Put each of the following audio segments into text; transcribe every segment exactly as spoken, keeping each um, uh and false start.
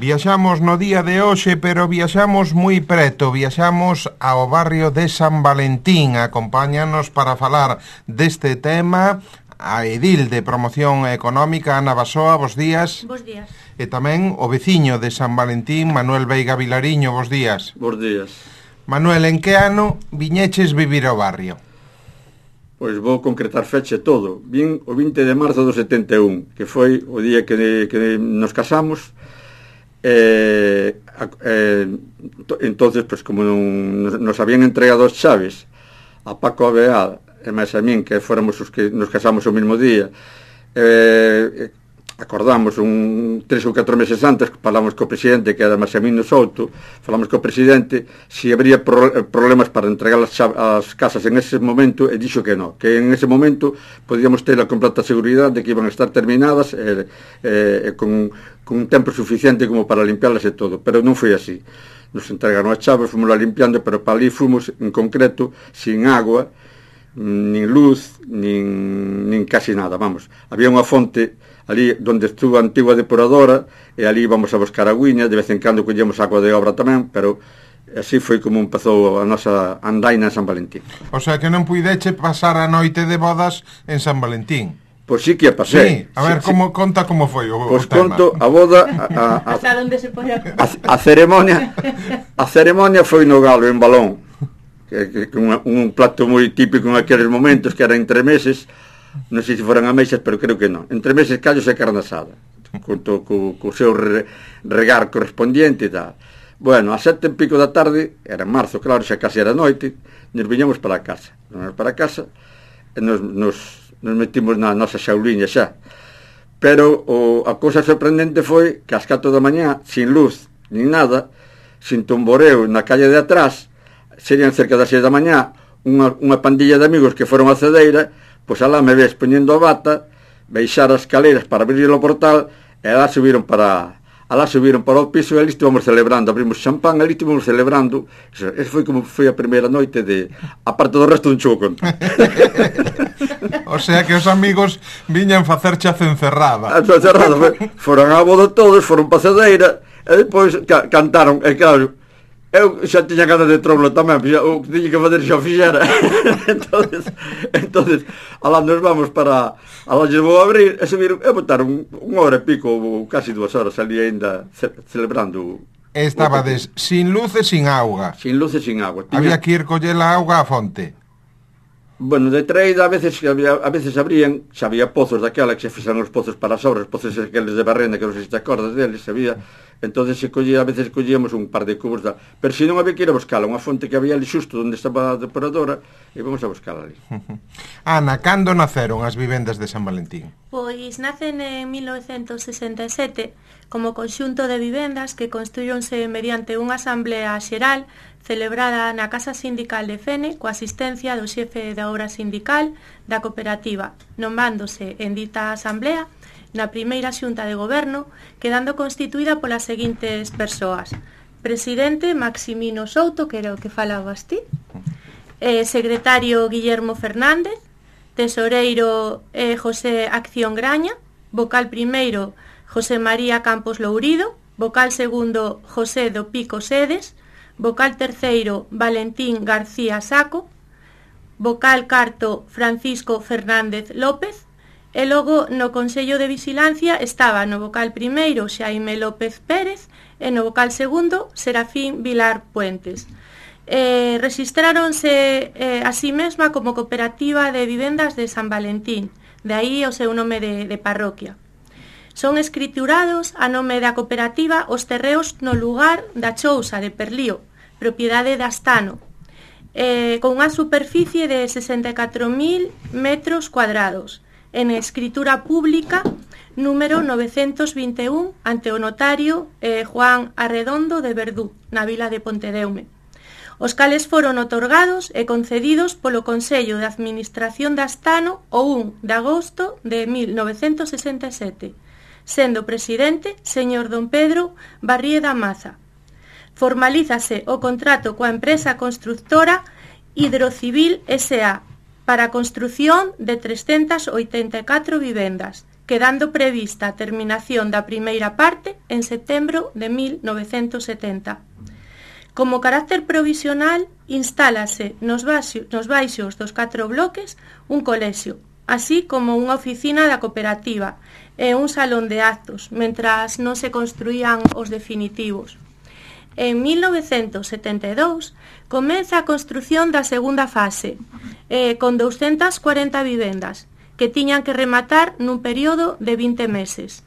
Viaxamos no día de hoxe, pero viaxamos moi preto, viaxamos ao barrio de San Valentín. Acompáñanos para falar deste tema a edil de Promoción Económica, Ana Basoa, bos días. Bos días. E tamén o veciño de San Valentín, Manuel Veiga Vilariño, bos días. Bos días. Manuel, en que ano viñeches vivir ao barrio? Pois vou concretar feche todo. Vin o vinte de marzo do setenta e un, que foi o día que, que nos casamos. Eh, eh, entonces, pues, como non, nos habían entregado as chaves a Paco Abeal e máis a min, que fóramos os que nos casamos o mesmo día, eh, acordamos un tres ou catro meses antes, falamos co presidente, que era Maximino Souto, falamos co presidente se habría pro, problemas para entregar as, as casas en ese momento, e dixo que non, que en ese momento podíamos ter a completa seguridade de que iban a estar terminadas e, e, con, con un tempo suficiente como para limpiarlas e todo, pero non foi así. Nos entregaron as chaves, fomos a limpiando, pero para ali fomos en concreto sin agua, nin luz, nin, nin casi nada, vamos. Había unha fonte ali onde estuvo a antigua depuradora e ali íbamos a buscar agüiña, de vez en cando collemos agua de obra tamén, pero así foi como empezou a nosa andaina en San Valentín. O sea que non puideche pasar a noite de bodas en San Valentín. Pois sí que a pasei. Sí, a ver, sí, como, sí. Conta como foi o, pois o tema. Conto a boda a, a, a, hasta onde se pode a, a ceremonia a ceremonia foi no Galo, en Balón, que, que, que un, un plato moi típico en aqueles momentos, que era entre meses. Non sei se foran ameixas, pero creo que non. Entre meses, callos e carne asada, co, co, co seu re, regar correspondiente e tal. Bueno, a sete e pico da tarde, era en marzo, claro, xa casi era noite, nos viñamos para a casa. Nos para a casa e nos, nos, nos metimos na nosa xauliña xa. Pero o, a cousa sorprendente foi que ás catro da mañá, sin luz, nin nada, sin tomboreo na calle de atrás, serían cerca das seis da mañá, unha, unha pandilla de amigos que foron a Cedeira. Pois alá me ves poñendo a bata, baixar as escaleras para abrir o portal, e alá subiron para alá subiron para o piso, e ali estivamos celebrando, abrimos champán, ali estivamos celebrando. Eso, eso foi como foi a primeira noite de, a parte do resto non chego conto. O sea que os amigos viñan facerche a cencerrada. A cencerrada, foron a boda todos, foron pa Cedeira, e depois ca, cantaron, e claro, eu xa tiña ganas de tromlo tamén, o que tiña que fazer xa o fixera. entonces, entonces alá nos vamos para alá lles vou abrir e subiron e botaron unha hora e pico, casi dúas horas ali ainda ce, celebrando. Estabades sin luz e sin auga. Sin luz e sin agua. Tiña... Había que ir coller a auga á fonte. Bueno, de traída a veces había, a veces abrían, xa había pozos daquela que se fixan os pozos para as obras, pozos aqueles de Barrena que non sei se te acordas deles, había. Entonces se collía, a veces collíamos un par de cubos da... Pero se non había que ir a buscala, unha fonte que había ali xusto onde estaba a depuradora, e vamos a buscala ali. Ana, cando naceron as vivendas de San Valentín? Pois nacen en mil novecentos sesenta e sete como conxunto de vivendas que construíronse mediante unha asamblea xeral celebrada na Casa Sindical de Fene coa asistencia do xefe da obra sindical da cooperativa, nomándose en dita asamblea na primeira xunta de goberno, quedando constituída polas seguintes persoas: presidente Maximino Souto, que era o que falabas ti, eh, secretario Guillermo Fernández, tesoreiro eh, José Acción Graña, vocal primeiro José María Campos Lourido, vocal segundo José do Pico Sedes, vocal terceiro Valentín García Saco, vocal carto Francisco Fernández López. E logo no Consello de Vigilancia estaba no vocal primeiro Xaime López Pérez e no vocal segundo Serafín Vilar Puentes. Eh, registráronse eh, a sí mesma como Cooperativa de Vivendas de San Valentín, de aí o seu nome de, de parroquia. Son escriturados a nome da cooperativa os terreos no lugar da Chousa de Perlío, propiedade de Astano, eh, con unha superficie de sesenta e catro mil metros cuadrados, en escritura pública número novecentos vinte e un ante o notario eh, Juan Arredondo de Verdú, na vila de Pontedeume, os cales foron otorgados e concedidos polo Consello de Administración de Astano o un de agosto de mil novecentos sesenta e sete, sendo presidente señor don Pedro Barrieda Maza. Formalízase o contrato coa empresa constructora Hidrocivil S A para a construción de trescentas oitenta e catro vivendas, quedando prevista a terminación da primeira parte en setembro de mil novecentos setenta. Como carácter provisional, instálase nos, baixo, nos baixos dos catro bloques un colexio, así como unha oficina da cooperativa e un salón de actos, mentras non se construían os definitivos. En mil novecentos setenta e dous comeza a construción da segunda fase, eh, con doscientas cuarenta vivendas, que tiñan que rematar nun período de vinte meses.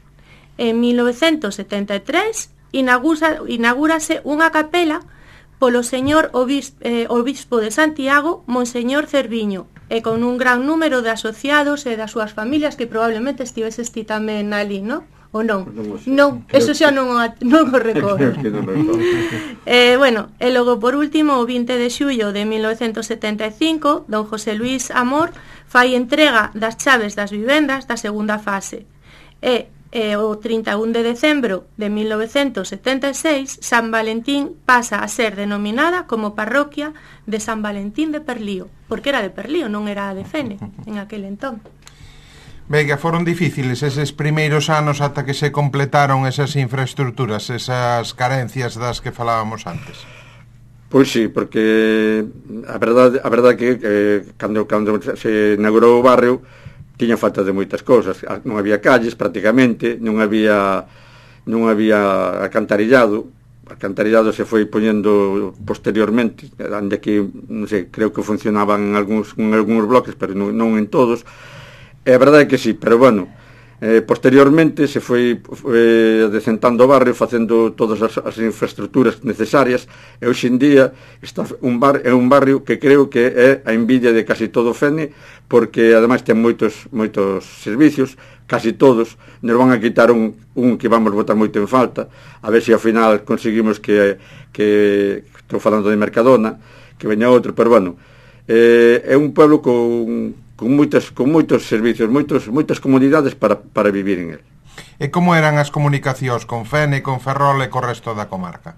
En mil novecentos setenta e tres inaugúrase unha capela polo señor obispo, eh, obispo de Santiago, Monseñor Cerviño, e con un gran número de asociados e das súas familias, que probablemente estiveses ti tamén ali, non? Ou non? Non, eso xa non, non o recordo. eh, bueno, e logo por último, o vinte de xullo de mil novecentos setenta e cinco, don José Luis Amor fai entrega das chaves das vivendas da segunda fase. E E o trinta e un de decembro de mil novecentos setenta e seis, San Valentín pasa a ser denominada como parroquia de San Valentín de Perlío, porque era de Perlío, non era de Fene en aquel entón. Vega, foron difíciles eses primeiros anos ata que se completaron esas infraestructuras, esas carencias das que falábamos antes? Pois sí, porque a verdade, a verdade que eh, cando, cando se inaugurou o barrio tiña falta de moitas cousas, non había calles prácticamente, non había non había alcantarillado, alcantarillado se foi poñendo posteriormente, onde que, non sei, creo que funcionaban en algúns, en algúns bloques, pero non, non en todos, e a verdade é que sí, pero bueno, eh, posteriormente se foi eh, decentando o barrio, facendo todas as, as infraestructuras necesarias, e hoxe en día está un bar, é un barrio que creo que é a envidia de casi todo Fene, porque ademais ten moitos moitos servicios, casi todos. Nos van a quitar un, un que vamos botar moito en falta, a ver se ao final conseguimos que, que estou falando de Mercadona, que veña outro, pero bueno, eh, é un pueblo con con moitas con moitos servicios, moitos moitas comodidades para para vivir en el. E como eran as comunicacións con Fene, con Ferrol e co resto da comarca?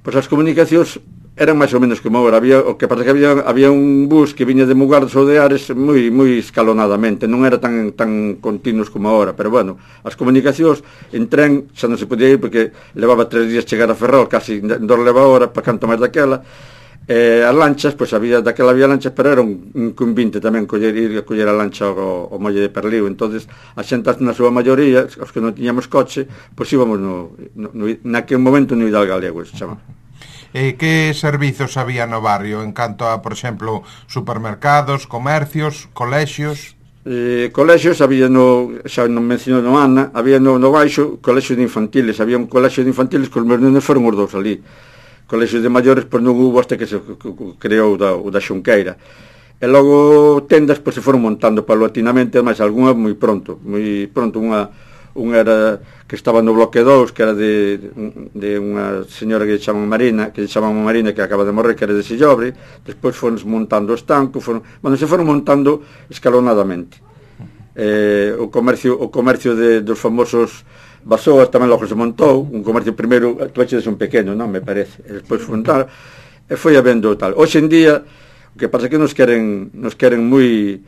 Pois as comunicacións eran máis ou menos como agora. Había, o que pasa que había, había un bus que viña de Mugardos ou de Ares moi moi escalonadamente, non era tan tan continuos como agora, pero bueno, as comunicacións en tren xa non se podía ir porque levaba tres días chegar a Ferrol, casi dos leva hora, para canto máis daquela. Eh, as lanchas, pois había, daquela había lanchas, pero era un, un convinte tamén coller, ir a coller a lancha ao, ao molle de Perlío. Entonces a xente na súa maioría, os que non tiñamos coche, pois íbamos no, no, no naquele momento no Hidal Galego, se chama. E que servizos había no barrio en canto a, por exemplo, supermercados, comercios, colexios? Eh, colexios había no, xa non mencionou no Ana, había no, no baixo colexios de infantiles, había un colexio de infantiles que os meus nenos foron os dous ali. Colexios de maiores pois non hubo hasta que se creou da, o da Xunqueira, e logo tendas pois se foron montando paulatinamente, mas algunha moi pronto moi pronto, unha, unha era que estaba no bloque dous, que era de, de unha señora que chaman Marina, que chaman Marina, que acaba de morrer, que era de Sillobre. Despois foron montando o estanco, foron, bueno, se foron montando escalonadamente. Eh, o comercio o comercio de, dos famosos Basoas tamén logo se montou, un comercio primeiro, tú eches un pequeno, non, me parece, e despois montar, e foi habendo tal. Hoxe en día, o que pasa que nos queren, nos queren moi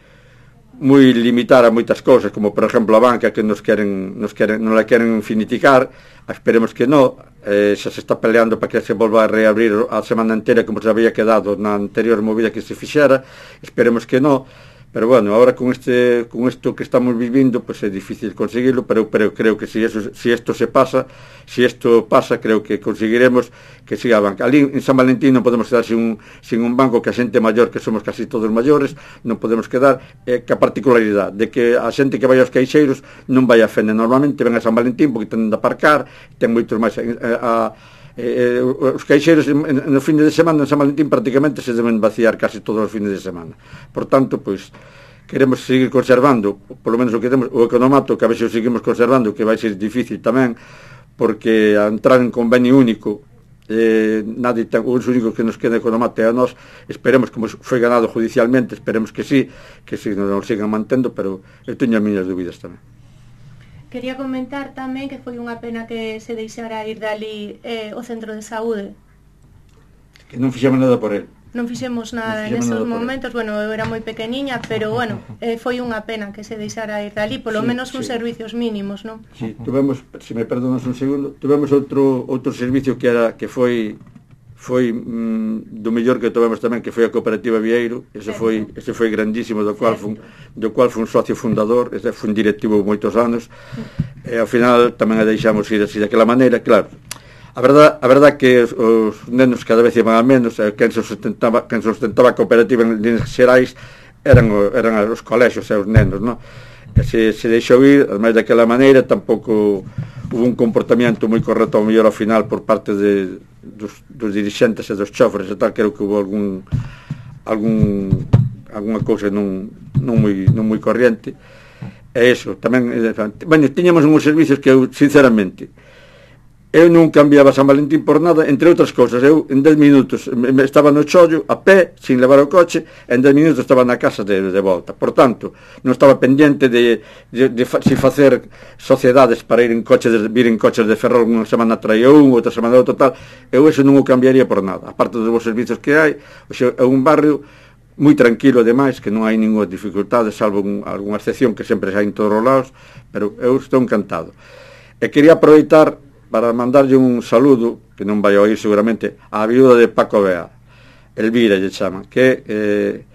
moi limitar a moitas cousas, como por exemplo a banca, que nos queren, nos queren, non la queren finiticar, esperemos que non, eh, xa se está peleando para que se volva a reabrir a semana entera como se había quedado na anterior movida que se fixera, esperemos que non. Pero bueno, ahora con este con isto que estamos vivindo, pues é difícil conseguirlo, pero pero creo que si eso si esto se pasa, si esto pasa, creo que conseguiremos que siga a banca. Ali en San Valentín non podemos quedar sin un sin un banco, que a xente maior, que somos casi todos maiores, non podemos quedar, eh, que a particularidade de que a xente que vai aos caixeiros non vai a Fene, normalmente ven a San Valentín porque ten de aparcar, ten moitos máis eh, a Eh, os caixeiros no fin de semana en San Valentín prácticamente se deben vaciar casi todos os fines de semana. Por tanto, pois queremos seguir conservando, polo menos o que temos, o economato, que a ver se o seguimos conservando, que vai ser difícil tamén, porque a entrar en convenio único, eh, nadie ten, os únicos que nos queda economato é a nós. Esperemos, como foi ganado judicialmente, esperemos que sí, que sí, nos sigan mantendo, pero eu teño as miñas dúbidas tamén. Quería comentar tamén que foi unha pena que se deixara ir dali eh, o centro de saúde. Que non fixemos nada por el. non fixemos nada en esos momentos, bueno, eu era moi pequeniña, pero bueno, eh, foi unha pena que se deixara ir dali, polo sí, menos uns sí. servicios mínimos, non? Sí, tuvemos, se me perdonas un segundo, tuvemos outro outro servicio que era que foi foi mm, do mellor que tovemos tamén, que foi a Cooperativa Vieiro. Ese foi ese foi grandísimo, do cual fun, do cual fun socio fundador, ese foi un directivo moitos anos. E ao final tamén a deixamos ir así daquela maneira, claro. A verdad, a verdad que os, os nenos cada vez iban a menos, e quen sustentaba, quen sustentaba a cooperativa en líneas xerais eran, eran os colexios e os nenos, non? E se, se deixou ir, ademais daquela maneira, tampouco hubo un comportamento moi correcto ao mellor ao final por parte de, dos, dos dirixentes e dos chofres e tal, creo que hubo algún algún alguna cousa non, non, moi, non moi corriente. E iso, tamén, bueno, tiñamos uns servicios que eu, sinceramente, eu non cambiaba San Valentín por nada, entre outras cousas. Eu en dez minutos estaba no chollo, a pé, sin levar o coche, e en dez minutos estaba na casa de, de volta. Por tanto, non estaba pendiente de, de, de, de si facer sociedades para ir en coche de, vir en coches de Ferrol unha semana traía un, outra semana outro tal. Eu eso non o cambiaría por nada. Aparte dos bons servicios que hai, é un barrio moi tranquilo, ademais, que non hai ninguna dificultade, salvo un, algunha excepción que sempre hai en todos os lados, pero eu estou encantado. E quería aproveitar para mandarlle un saludo, que non vai a oír seguramente, á viúda de Paco Bea, Elvira lle chama, que eh,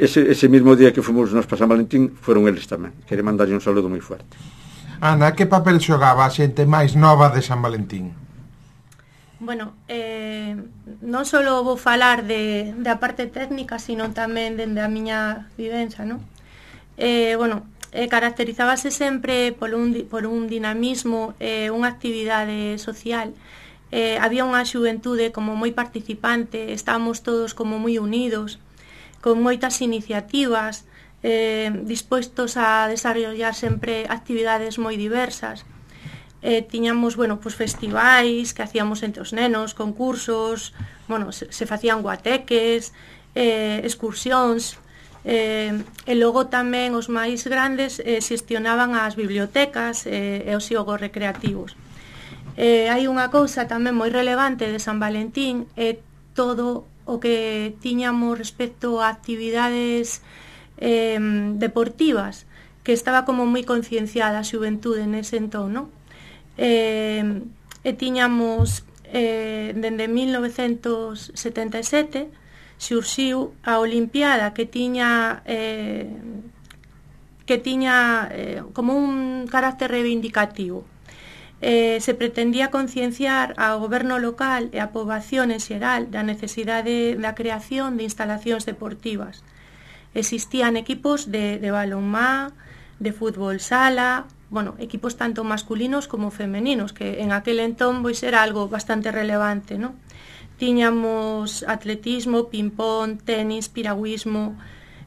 ese, ese mismo día que fomos nos para San Valentín foron eles tamén. Quería mandarlle un saludo moi fuerte. Ana, que papel xogaba a xente máis nova de San Valentín? Bueno, eh, non só vou falar de, de a parte técnica, sino tamén dende a miña vivenza, non? Eh, bueno, eh, caracterizábase sempre por un, por un dinamismo, eh, unha actividade social. Eh, había unha xuventude como moi participante, estábamos todos como moi unidos, con moitas iniciativas, eh, dispuestos a desarrollar sempre actividades moi diversas. Eh, tiñamos, bueno, pues festivais que hacíamos entre os nenos, concursos, bueno, se, se facían guateques, eh, excursións, eh, e logo tamén os máis grandes eh, xestionaban as bibliotecas eh, e os xogos recreativos. Eh, hai unha cousa tamén moi relevante de San Valentín, é eh, todo o que tiñamos respecto a actividades eh, deportivas, que estaba como moi concienciada a xuventude nese entón, non? Eh, e tiñamos eh, dende mil novecentos setenta e sete xurxiu a Olimpiada que tiña eh, que tiña eh, como un carácter reivindicativo. Eh, se pretendía concienciar ao goberno local e a poboación en xeral da necesidade da creación de instalacións deportivas. Existían equipos de, de balonmá, de fútbol sala, bueno, equipos tanto masculinos como femeninos, que en aquel entón pois era algo bastante relevante, ¿no? Tiñamos atletismo, ping-pong, tenis, piragüismo,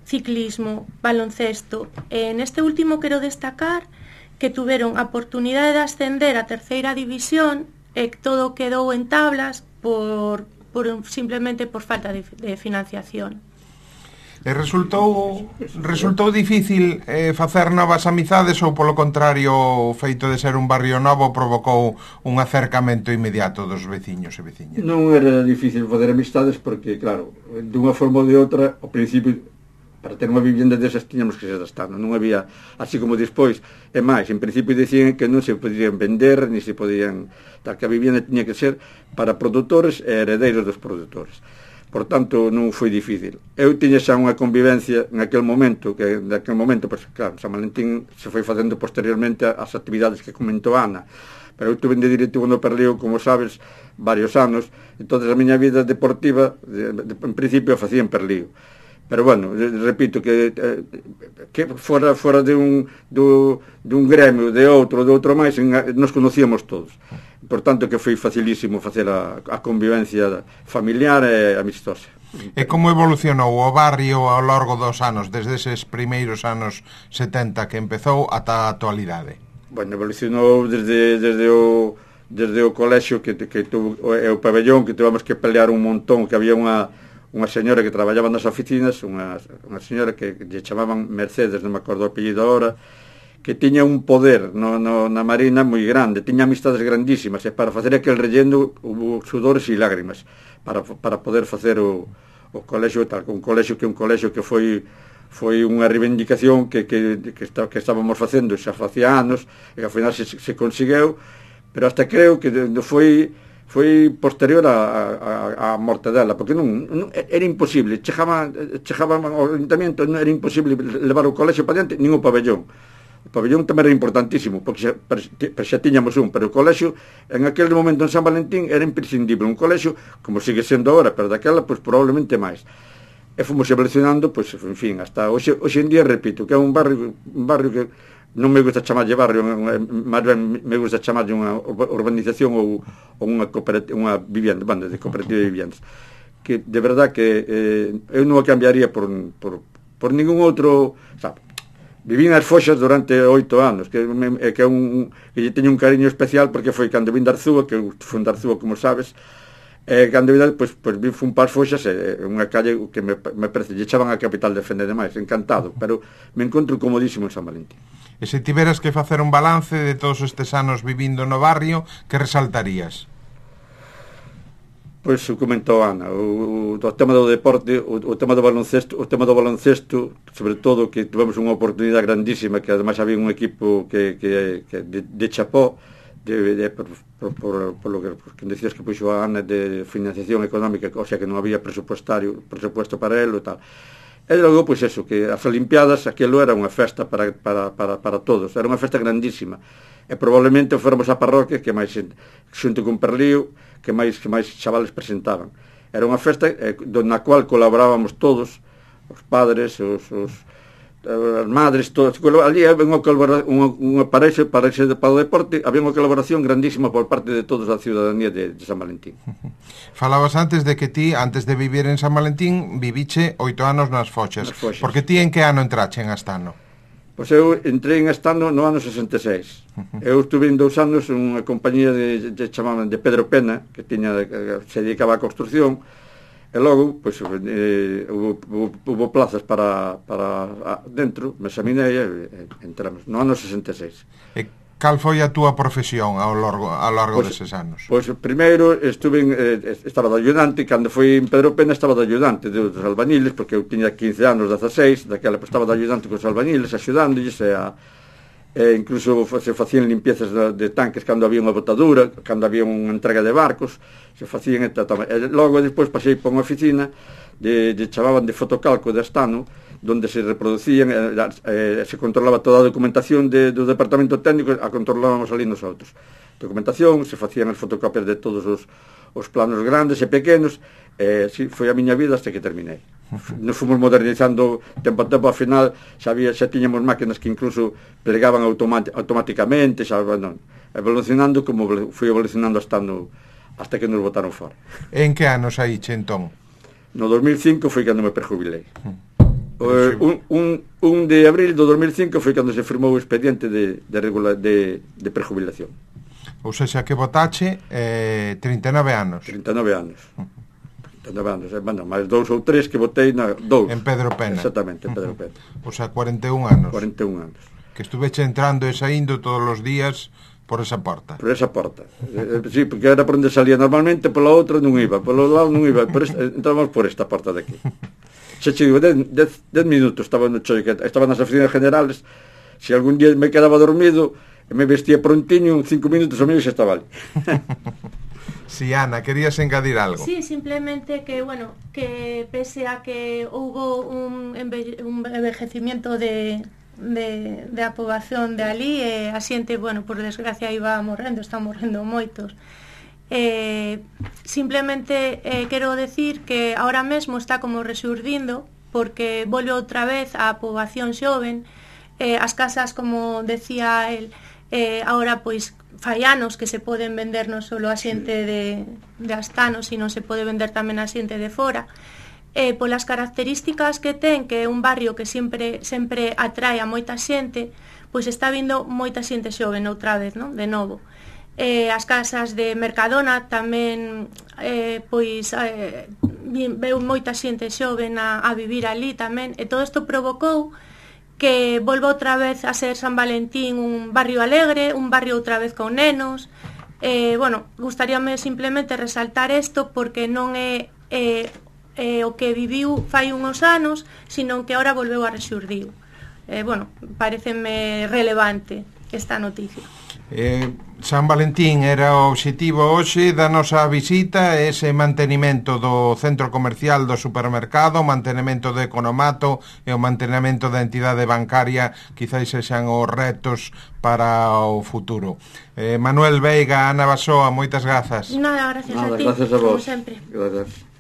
ciclismo, baloncesto. En este último quero destacar que tuveron a oportunidade de ascender a terceira división e todo quedou en tablas por, por simplemente por falta de, de financiación. E resultou resultou difícil eh, facer novas amizades ou polo contrario o feito de ser un barrio novo provocou un acercamento inmediato dos veciños e veciñas? Non era difícil fazer amistades porque, claro, dunha forma ou de outra, ao principio, para ter unha vivienda desas tiñamos que ser estando, non había, así como despois, e máis, en principio dicían que non se podían vender, ni se podían, tal que a vivienda tiña que ser para produtores e heredeiros dos produtores. Por tanto, non foi difícil. Eu tiña xa unha convivencia en aquel momento, que en aquel momento, pues, claro, San Valentín se foi facendo posteriormente as actividades que comentou Ana, pero eu tuve de directivo no Perlío, como sabes, varios anos, entón a miña vida deportiva, de, de, en principio, facía en Perlío. Pero bueno, repito que eh, que fora fora de un do, de un gremio, de outro, de outro máis, en, nos conocíamos todos. Por tanto que foi facilísimo facer a, a convivencia familiar e amistosa. E como evolucionou o barrio ao longo dos anos, desde eses primeiros anos setenta que empezou ata a actualidade? Bueno, evolucionou desde desde o desde o colexio que que tuvo o, o pabellón, que tivemos que pelear un montón, que había unha unha señora que traballaba nas oficinas, unha, unha señora que lle chamaban Mercedes, non me acordo o apellido agora, que tiña un poder no, no, na Marina moi grande, tiña amistades grandísimas, e para facer aquel relleno hubo sudores e lágrimas para, para poder facer o, o colexio tal, un colexio que un colexio que foi foi unha reivindicación que, que, que, está, que estábamos facendo xa facía anos e ao final se, se conseguiu, pero hasta creo que foi foi posterior a, a, a morte dela, porque non, non era imposible, chegaba, chegaba ao ayuntamiento, non era imposible levar o colexio para diante, nin o pabellón. O pabellón tamén era importantísimo, porque xa, xa tiñamos un, pero o colexio en aquel momento en San Valentín era imprescindible, un colexio como sigue sendo agora, pero daquela pois probablemente máis. E fomos evolucionando, pois, en fin, hasta hoxe, hoxe en día, repito, que é un barrio, un barrio que non me gusta chamarlle barrio, máis ben me gusta chamarlle unha urbanización ou, ou unha, unha vivienda, banda de cooperativa de viviendas, que de verdad que eh, eu non o cambiaría por, por, por ningún outro, sabe, vivín as Foxas durante oito anos, que, me, que, é un, que lle teño un cariño especial porque foi cando vin de Arzúa, que foi de Arzúa, como sabes. E cando vida, pois, pois vi fun para as Foxas, e unha calle que me, me parece, lle echaban a capital de Fene demais, encantado, pero me encontro comodísimo en San Valentín. E se tiveras que facer un balance de todos estes anos vivindo no barrio, que resaltarías? Pois o comentou Ana, o, o tema do deporte, o, o tema do baloncesto, o tema do baloncesto, sobre todo que tivemos unha oportunidade grandísima, que ademais había un equipo que, que, que de, de chapó, de, de, por, por, por, por lo que, por que decías que puxo a Ana de financiación económica, o sea que non había presupuestario, presupuesto para ele e tal. E logo, pois eso, que as Olimpiadas, aquilo era unha festa para, para, para, para todos, era unha festa grandísima. E probablemente fóramos a parroquia que máis, xunto con Perlío, que máis, que máis chavales presentaban. Era unha festa eh, na cual colaborábamos todos, os padres, os, os as madres, todos. Ali había unha colaboración, unha, unha parexe, parexe para o deporte, había unha colaboración grandísima por parte de todos a ciudadanía de, de San Valentín. Falabas antes de que ti, antes de vivir en San Valentín, viviche oito anos nas Foxas. Nas Foxas. Porque ti en que ano entrache en Astano? Pois eu entrei en Astano no ano sesenta e seis. Eu estuve en dous anos en unha compañía de, de chamaban de Pedro Pena, que tiña, que se dedicaba á construcción. E logo, pois, eh, hubo, hubo, hubo plazas para, para dentro, me examinei e, e entramos, no ano sesenta e seis. E cal foi a túa profesión ao largo, ao largo pues, deses anos? Pois, primeiro, estuve en, eh, estaba de ayudante, cando foi en Pedro Pena estaba de ayudante dos albañiles, porque eu tiña quince anos, dezaseis, daquela pues, estaba de ayudante cos albañiles, axudándoles, e a... E incluso se facían limpiezas de, de tanques cando había unha botadura, cando había unha entrega de barcos, se facían e, e logo despois pasei por unha oficina de, de chamaban de fotocalco de Astano, donde se reproducían e, e se controlaba toda a documentación de, do departamento técnico, a controlábamos ali nosotros. Documentación, se facían as fotocopias de todos os, os planos grandes e pequenos, e si, foi a miña vida hasta que terminei. Nos fomos modernizando tempo a tempo, ao final xa, había, xa tiñamos máquinas que incluso plegaban automáticamente, xa, bueno, evolucionando como fui evolucionando hasta, no, hasta que nos botaron fora. En que anos aí, che, entón? No dos mil cinco foi cando me prejubilei. Uh, un, un, un de abril do dos mil cinco foi cando se firmou o expediente de, de, regula, de, de prejubilación. Ou seja, que votache eh, trinta e nove anos. trinta e nove anos. trinta e nove anos, eh, bueno, máis dous ou tres que votei na dous. En Pedro Pena. Exactamente, en Pedro Pena. O sea, cuarenta e un anos. cuarenta e un anos. Que estuveche entrando e saindo todos os días por esa porta. Por esa porta. eh, sí, porque era por onde salía normalmente, pola outra non iba, polo lado non iba, por esta, entramos por esta porta de aquí. Se che digo, dez minutos estaba no choi, estaba nas oficinas generales, se algún día me quedaba dormido, e me vestía prontiño, cinco minutos o medio xa estaba ali. Si, sí, Ana, querías engadir algo? Sí, simplemente que, bueno, que pese a que hubo un, enve un envejecimiento de, de, de a poboación de ali, e a xente, bueno, por desgracia iba morrendo, está morrendo moitos. Eh, simplemente eh, quero decir que ahora mesmo está como resurdindo, porque volve outra vez a poboación xoven, eh, as casas, como decía el, eh, ahora pois fai anos que se poden vender non só a xente de, de Astano, sino se pode vender tamén a xente de fora, eh, polas características que ten, que é un barrio que sempre sempre atrae a moita xente, pois está vindo moita xente xoven outra vez, non? De novo. Eh, as casas de Mercadona tamén eh, pois eh, veu moita xente xoven a, a vivir ali tamén, e todo isto provocou que volva outra vez a ser San Valentín un barrio alegre, un barrio outra vez con nenos. Eh, bueno, gustaríame simplemente resaltar isto porque non é, eh, eh, o que viviu fai uns anos, sino que ahora volveu a rexurdir. Eh, bueno, pareceme relevante esta noticia. Eh, San Valentín era o obxectivo hoxe da nosa visita, ese mantenimento do centro comercial, do supermercado, o mantenimento do economato e o mantenimento da entidade bancaria, quizáis sexan os retos para o futuro. eh, Manuel Veiga, Ana Basoa, moitas grazas. Nada, gracias Nada, a ti, gracias a como vos. sempre. Gracias.